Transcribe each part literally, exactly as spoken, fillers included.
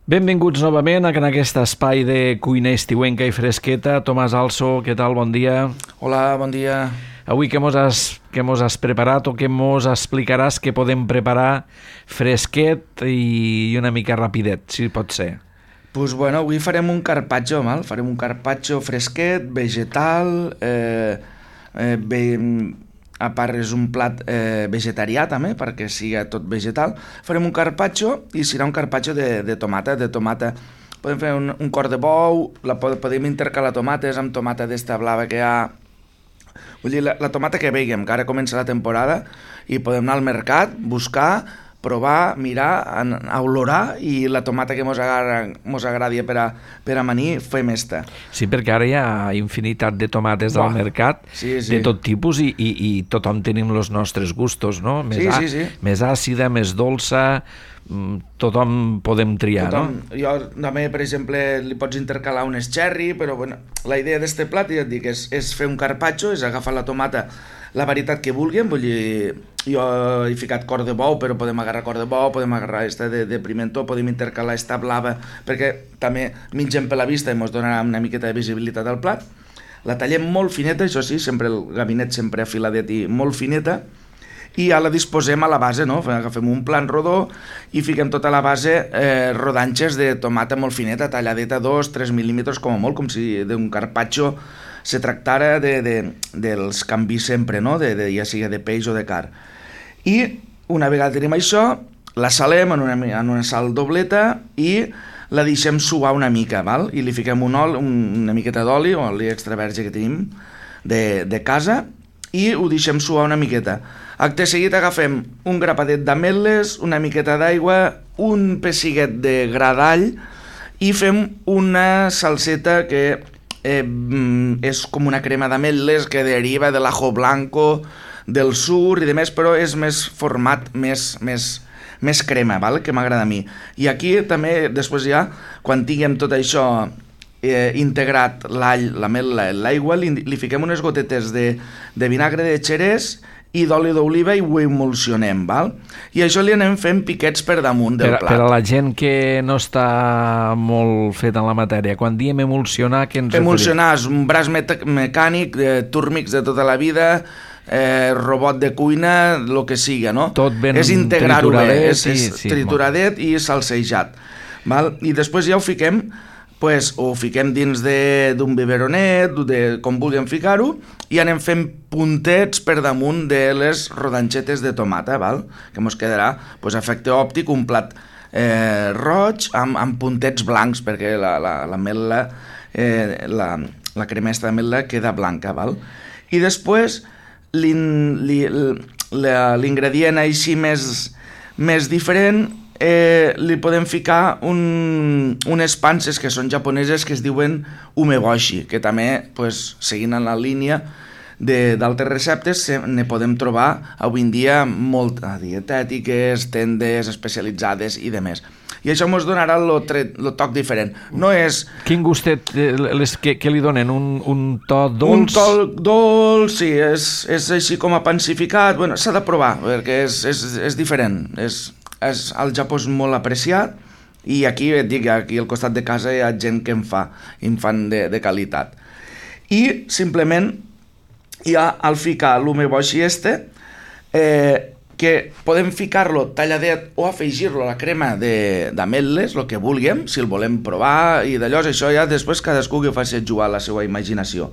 Benvinguts novament en aquest espai de cuina estiuenca i fresqueta. Tomàs Also, què tal? Bon dia. Hola, bon dia. Avui què mos has, què mos has preparat o què mos explicaràs que podem preparar fresquet i una mica rapidet, si pot ser? Pues bueno, avui farem un carpaccio, mal? Farem un carpaccio fresquet, vegetal, eh, eh, bé, a part és un plat eh, vegetarià també, perquè sigui tot vegetal. Farem un carpaccio i serà un carpaccio de, de tomata, de tomata. Podem fer un, un cor de bou, la podem intercalar tomates amb tomata d'esta blava que hi ha. Vull dir, la, la tomata que veiem, que ara comença la temporada i podem anar al mercat, buscar, provar, mirar, a olorar i la tomata que mos, agra, mos agradi per a, per a amanir, fem esta. Sí, perquè ara hi ha infinitat de tomates Buah. al mercat, sí, sí. de tot tipus i, i, i tothom tenim els nostres gustos, no? Més, sí, a, sí, sí. més àcida, més dolça, tothom podem triar, tothom, no? Jo també, per exemple, li pots intercalar unes cherry, però bueno, la idea d'este plat, ja et dic, és, és fer un carpaccio, és agafar la tomata, la varietat que vulguem, vull dir, jo he ficat cor de bou, però podem agarrar cor de bou, podem agarrar esta de, de pimentó, podem intercalar esta blava, perquè també mengem per la vista i ens donarà una miqueta de visibilitat al plat. La tallem molt fineta, això sí, sempre el gabinet sempre afiladet i molt fineta, i ja la disposem a la base, no? Agafem un plan rodó i fiquem tota la base eh, rodanxes de tomata molt fineta, talladeta dos tres mil·límetres com a molt, com si d'un carpaccio se tractara de, de, dels canvis sempre, no? De, de, ja sigui de peix o de carn. I una vegada tenim això, la salem en una, en una sal dobleta i la deixem suar una mica, val? I li fiquem un oli, un, una miqueta d'oli, o oli extra verge que tenim de, de casa, i ho deixem suar una miqueta. Acte seguit agafem un grapadet d'ametlles, una miqueta d'aigua, un pessiguet de gra d'all i fem una salseta que eh, és com una crema d'ametlles que deriva de l'ajo blanco, del sur i de més, però és més format, més, més, més crema, val? Que m'agrada a mi. I aquí també, després ja, quan tinguem tot això eh, integrat, l'all, l'ametla, l'aigua, li, li fiquem unes gotetes de, de vinagre de xerès i d'oli d'oliva i ho emulsionem, val? I això li anem fent piquets per damunt del per, plat. Per a la gent que no està molt fet en la matèria, quan diem emulsionar, què ens referim? Emulsionar és un braç mecànic, de túrmics de tota la vida, eh, robot de cuina, el que siga, no? Tot ben és integrar-ho bé, és, és i, sí, trituradet i salsejat, val? I després ja ho fiquem, pues, ho fiquem dins d'un biberonet, de, com vulguem ficar-ho, i anem fent puntets per damunt de les rodanxetes de tomata, val? Que ens quedarà, pues, efecte òptic, un plat eh, roig amb, amb puntets blancs, perquè la, la, la ametla, eh, la, la cremesta d'ametla queda blanca, val? I després l'ingredient així més, més diferent, eh, li podem ficar un, unes panses que són japoneses que es diuen umeboshi, que també, pues, seguint en la línia d'altres receptes, ne podem trobar avui en dia molt dietètiques, tendes especialitzades i demés. I això ens donarà el toc diferent. No és... Quin gustet les, que, que li donen? Un, un to dolç? Un to dolç, sí, és, és així com a pansificat. Bueno, s'ha de provar, perquè és, és, és diferent. És, és, al Japó és molt apreciat i aquí, et dic, aquí al costat de casa hi ha gent que en fa, i en fan de, de qualitat. I simplement hi ha al ficar l'umeboshi este, eh, que podem ficar-lo talladet o afegir-lo a la crema d'ametlles, el que vulguem, si el volem provar, i d'allò, això ja després cadascú que faci jugar la seva imaginació.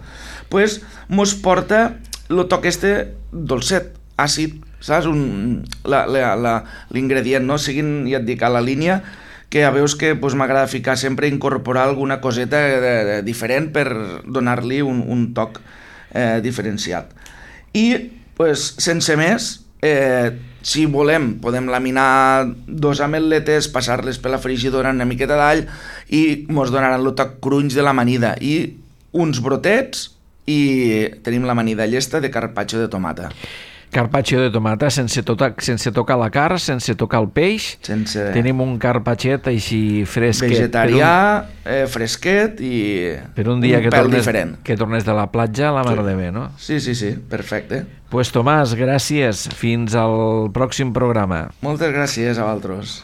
Pues mos porta el toc este dolcet, àcid, saps? L'ingredient, no? Seguint, ja et dic, a la línia, que ja veus que pues, m'agrada ficar sempre, incorporar alguna coseta de, de, diferent per donar-li un, un toc eh, diferenciat. I, pues, sense més, Eh, si volem podem laminar dos ametletes, passar-les per la frigidora una miqueta d'all i ens donaran el toc crunch de l'amanida i uns brotets i tenim l'amanida llesta de carpaccio de tomata. Carpaccio de tomata sense, tota, sense tocar la carn, sense tocar el peix. Sense... Tenim un carpacciet així fresquet. Vegetarià, un... eh, fresquet i per un dia un que pèl tornes, diferent. Que tornes de la platja, la mar sí. de bé, no? Sí, sí, sí, perfecte. Pues Tomàs, gràcies. Fins al pròxim programa. Moltes gràcies a vosaltres.